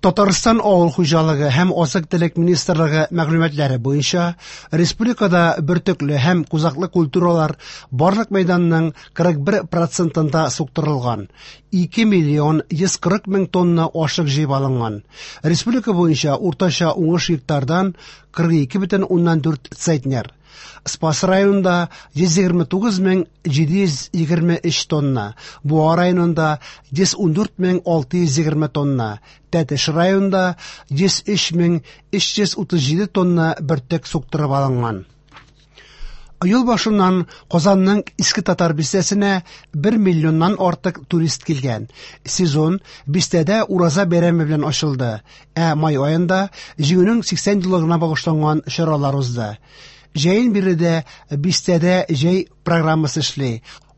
Татарстан Авыл хуҗалыгы һәм азык-төлек министрлыгы мәгълүматлары буенча, республикада бөртекле һәм кузаклы культуралар барлык мәйданның 41 процентында суктырылган. 2 миллион 140 мең тонна ашлык җыеп алынган. Республика буенча уртача уңыш гектардан 42,4 центнер. Спас районында 129 мең 723 тонна, Буа районында 114 мең 620 тонна, Тәтеш районында 103 мең 337 тонна бөртек суктырып алынган. Ел башыннан Казанның Иске Татар бистәсенә 1 миллионнан артык турист килгән. Сезон бистәдә Ураза бәйрәме белән ачылды, ә май аенда Җиңүнең 80 еллыгына багышланган чаралар узды. Җәен биредә бистәдә җәй программасы эшли.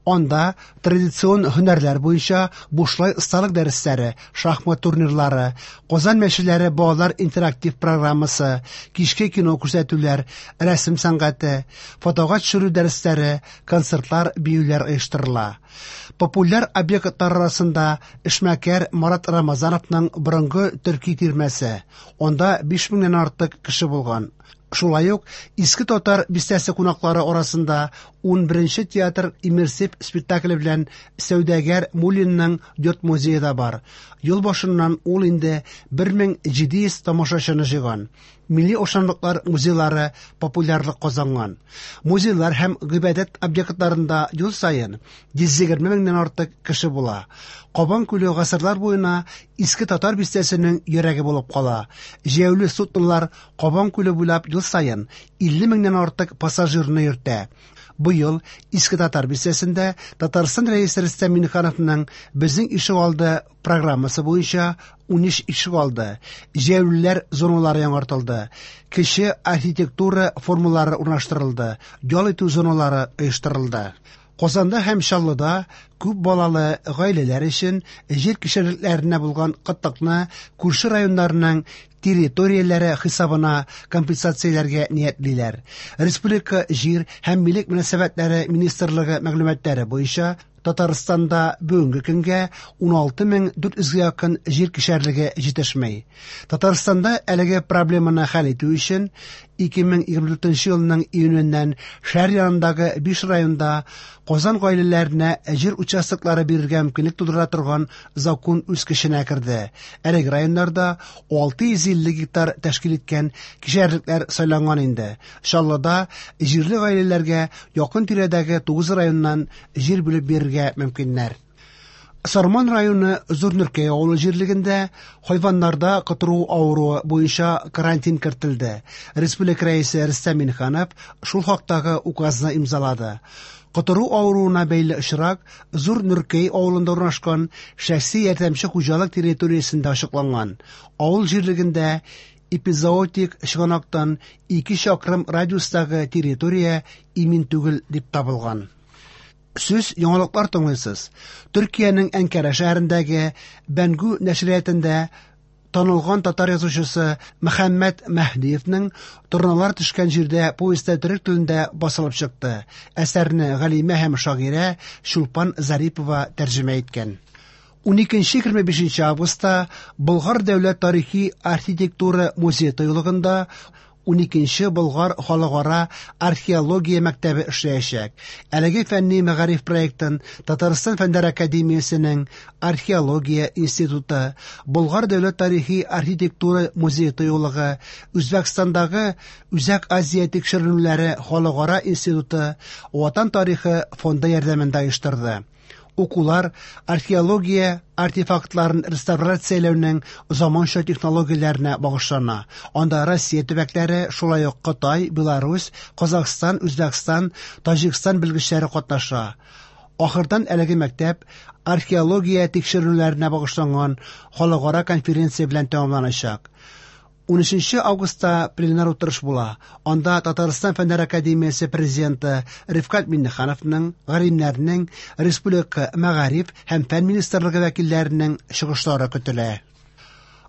Анда традицион һөнәрләр буенча бушлай осталык дәресләре, шахмат турнирлары, Казан мәчеләре балалар интерактив программасы, кичке кино күрсәтүләр, рәсем сәнгате, фотога төшерү дәресләре, концертлар, биюләр оештырыла. Популяр объектлар арасында эшмәкәр Марат Рамазановның борынгы төрки тирмәсе. Анда 5 меңнән артык кеше булган. Шулай ук Иске Татар бистәсе кунаклары арасында 11нче театр иммерсив спектакле белән сәүдәгәр Муллинның йорт музее да бар. Ел башыннан ул инде 1700 тамашачыны җыйган. Милли ашамлыклар музейлары популярлык казанган. Музейлар һәм гыйбадәт объектларында ел саен 120 меңнән артык кеше була. Кабан күле гасырлар буена Иске Татар бистәсенең йөрәге булып кала. Җәяүле суднолар Кабан күле буйлап ел саен 50 меңнән артык пассажирны йөртә. Быел Иске Татар бистәсендә Татарстан Рәисе Рөстәм Миңнехановның Безнең ишегалды программасы буенча 13 ишегалды, җәяүлеләр зоналары яңартылды, кече архитектура формалары урнаштырылды, ял итү зоналары оештырылды. Казанда һәм Чаллыда күп балалы гаиләләр өчен җир кишәрлекләренә булган кытлыкны күрше районнарның территорияләре хисабына компенсацияләргә ниятлиләр. Республика җир һәм милек мөнәсәбәтләре министрлыгы мәгълүматлары буенча, Татарстанда бүгенге көнгә 16 400 гә якын җир кишәрлеге җитешми. Татарстанда әлеге проблеманы хәл итү өчен 2024 елның июненнән шәһәр янындагы 5 районда Казан гаиләләренә җир участоклары бирергә мөмкинлек тудыра торган закон үз көченә керде. Әлеге районнарда 650 гектар тәшкил иткән кишәрлекләр сайланган инде. Чаллыда җирле гаиләләргә якын тирәдәге 9 районнан җир бүлеп бирергә мөмкиннәр. Сарман районы Зур Нөркәй авылы җирлегендә хайваннарда котыру авыруы буенча карантин кертелде. Республика Рәисе Рөстәм Миңнеханов шул хактагы указны имзалады. Котыру авыруына бәйле очрак Зур Нөркәй авылында урнашкан шәхси ярдәмче хуҗалык территориясендә ачыкланган. Авыл җирлегендә эпизоотик чыганактан 2 чакрым радиустагы территория имин түгел дип табылган. Сез яңалыклар тыңлыйсыз. Төркиянең Әнкара шәһәрендәге Бәнгү нәшриятында танылган татар язучысы Мөхәммәт Мәһдиевнең Торналар төшкән җирдә повесте төрек телендә басылып чыкты. Әсәрне галимә һәм шагыйрә Чулпан Зарипова тәрҗемә иткән. 12-25 августта Болгар дәүләт тарихи архитектура музее тыюлыгында 12 Болгар халыкара археология мәктәбе эшләячәк. Әлеге фәнни мәгариф проектын Татарстан Фәннәр академиясенең Археология институты, Болгар дәүләт тарихи архитектура музее тыюлыгы, Үзбәкстандагы Үзәк Азия тикшеренүләре халыкара институты, Ватан тарихы фонды ярдәмендә оештырды. Укулар археология артефактларын реставрацияләүнең заманча технологияләренә багышлана. Анда Россия төбәкләре, шулай ук Кытай, Беларусь, Казахстан, Үзбәкстан, Таҗикстан белгечләре катнаша. Ахырдан әлеге мәктәп археология тикшеренүләренә багышланган халыкара конференция белән тәмамланачак. 13 августта пленар утырыш була. Анда Татарстан Фәннәр академиясе президенты Рифкать Миңнехановның, галимнәрнең, республика мәгариф һәм фән министрлыгы вәкилләренең чыгышлары көтелә.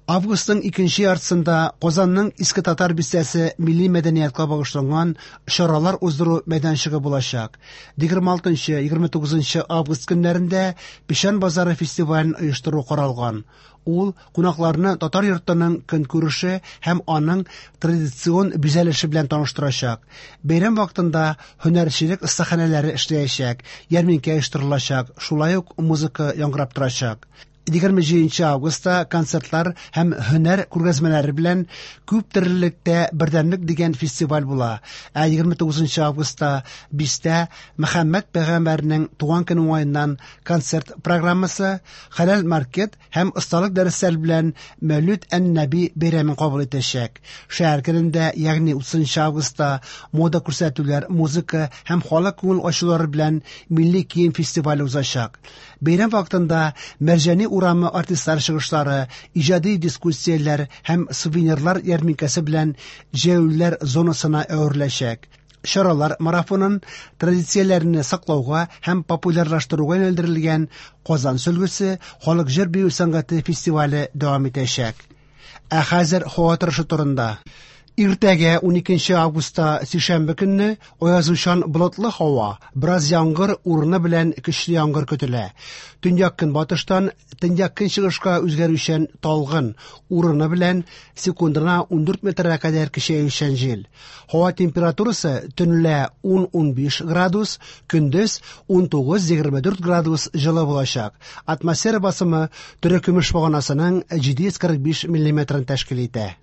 Августның икенче яртысында Казанның Иске Татар бистәсе милли мәдәниятка багышланган чаралар уздыру мәйданчыгы булачак. 26-29 август көннәрендә Печән базары фестивален оештыру каралган. Ул кунакларны татар йортының көнкүреше һәм аның традицион бизәлеше белән таныштырачак. Бәйрәм вакытында һөнәрчелек остаханәләре эшләячәк, ярминкә оештырылачак, шулай ук музыка яңгырап торачак. 27 августта концертлар һәм һөнәр күргәзмәләре белән күп төрлелектә бердәмлек дигән фестиваль була. Ә 29 августта бистә Мөхәммәд пәйгамбәрнең туган көне уңаеннан концерт программасы, хәләл маркет һәм осталык дәресләре белән Мәүлид ән-Нәби бәйрәмен кабул итәчәк. Шәһәр көнендә, ягъни 30 августта мода күрсәтүләр, музыка һәм халык күңел ачулары белән милли кием фестивале узачак. Бәйрәм вакытында Мәрҗани урамы артистлар чыгышлары, иҗади дискуссияләр һәм сувенирлар ярминкәсе белән җәяүлеләр зонасына әвереләчәк. Чаралар марафонын традицияләрне саклауга һәм популярлаштыруга юнәлдерелгән Казан сөлгесе халык җыр-бию сәнгате фестивале дәвам итәчәк. Ә хәзер һава торышы турында. Иртәгә 12 августта сишәмбе көнне аязучан болытлы һава, бераз яңгыр, урыны белән көчле яңгыр көтелә. Төньяк көнбатыштан төньяк көнчыгышка үзгәрүчән талгын, урыны белән секундына 14 метрга кадәр көчәючән җил. Һава температурасы төнлә 10-15 градус, көндез 19-24 градус җылы булачак. Атмосфера басымы терекөмеш баганасының 745 миллиметрын тәшкил итә.